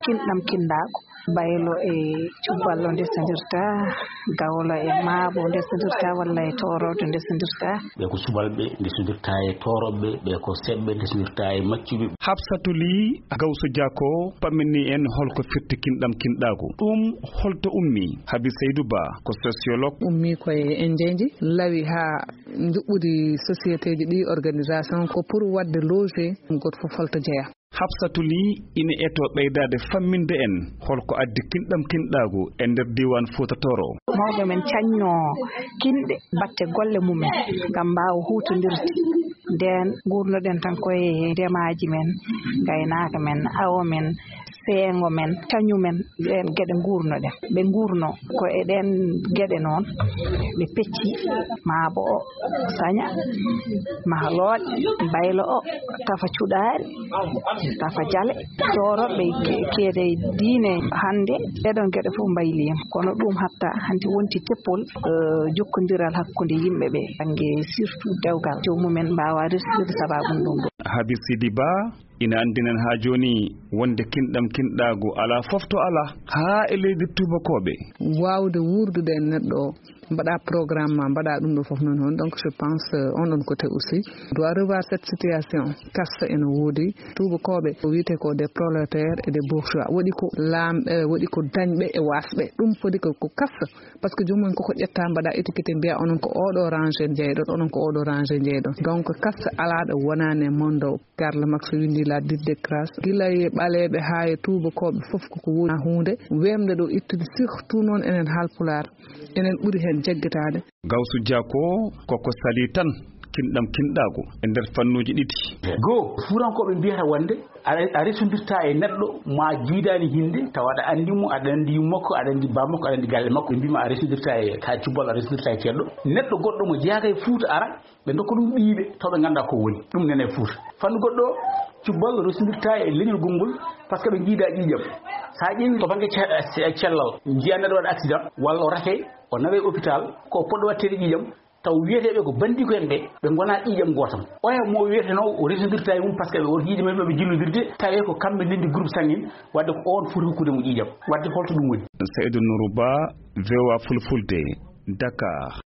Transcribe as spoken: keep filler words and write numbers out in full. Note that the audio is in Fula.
kinɗam kinɗaagu. Baylo e cuballo ndesondirta, gawlo e maabo ndesondirta, walla e tooroodo ndesondirta. Ɓe ko subalɓe ndesondirta e toorooɓe, ɓe ko seɓɓe ndesondirta e maccuɓe. Hafsatu Li Gawsu Jako pammini en holko firti kinɗam kinɗaagu. Ɗum holto ummi? Habi Seydu Ba ko sociologue. Ummi koye en jeyndi lawi haa njuɓɓudi société ji ɗi, organisation ko pour waɗde loger goto fof holto jeya. Hafsatu Li ina eto ɓeydaade famminde en holko addi kinɗam kinɗaagu e nder diiwaan Fuuta Tooro. Mawɓe men cañno kinɗe batte golle mumen ngam mbaawa huutondirde ndeen. Nguurnoɗen tan koye ndemaaji men, ngaynaaka men, awo men, seengo men, cañu men, ɗeen geɗe nguurnoɗen. Ɓe nguurno ko e ɗeen geɗe noon ɓe pecci, maabo o saña, mahalooɗe, baylo o, tafa cuɗaari, tafa jale, tooroɓe ke-, keede diine hannde, ɗeɗon geɗe fof mbayliima. Kono ɗum hatta hannde wonti teppol, eh, jokkondiral hakkunde yimɓe ɓe, bannge surtout dewgal, joomum en mbaawa resirde sabaabu ɗum ɗo. Habi Sidi Ba, ina anndinen haa jooni wonde kinɗam kinɗaagu alaa fof to alaa, haa e leydi tuubakooɓe. Waawde wuurdude e neɗɗo o, mbaɗa programme ma, mbaɗa ɗum ɗo fof noon hon. Donc, je pense, euh, on ɗon côté aussi, doit revoir cette situation. Kasta ene woodi, tuubakooɓe, ko wiyetee ko des prolétaires et des bourgeois. Waɗi ko laamɓe, waɗi ko dañɓe e waasɓe. Ɗum foti ko, ko kasta. Par ce que joomum en koko ƴetta, mbaɗa étiquette, mbiya onon ko oɗo rangé jeyɗon, onon ko oɗo rangé jeyɗon. Donc, kasta alaa ɗo wonaani e monde o. Karl Marx winndi La Dite des classes. Gila e ɓaleeɓe haa e tuubakooɓe fof koko woodi huunde weemde ɗo ittude, surtout noon enen Haalpulaar, enen ɓuri heen jaggitaade. Gawsu Jako koko salii tan kinɗam kinɗaagu e nder fannuuji ɗiɗi. Goo, Fuutankooɓe mbiyata wonde a, a resondirta e neɗɗo ma jiidaani hinde, tawa aɗa anndi mo, aɗa anndi yumma makko, aɗa anndi baaba makko, aɗa anndi galle makko. Ɓe mbii ma a resondirta e, ka cubbal, a resondirta e ceerɗo. Neɗɗo goɗɗo mo jeyaaka e Fuuta ara, ɓe ndokka ɗum ɓiyɓe, taw ɓe nganndaa ko woni. Ɗum nene e Fuuta. Fannu goɗɗo, cubbal resondirta e leñol gongol, par ce que ɓe njiida ƴiiƴam. So a ƴeewi to bannge ce-, ce-, cellal, njiya neɗɗo waɗa accident, walla o rake, o nawe hôpital, ko poɗɗo waɗteede ƴiiƴam, taw wiyeteeɓe ko banndiiko en ɓe, ɓe ngonaa ƴiiƴam gootam. Oya mo wiyetenoo o resondirta e mum, par ce que ɓe woto ƴiiƴam maɓɓe jillodirde, tawee ko kamɓe ndenndi groupe sanguin, wadde ko oon foti hokkude mo ƴiiƴam. Wadde holto ɗum woni? Seydou Nourou Ba, V O A Fulfulde, Dakar.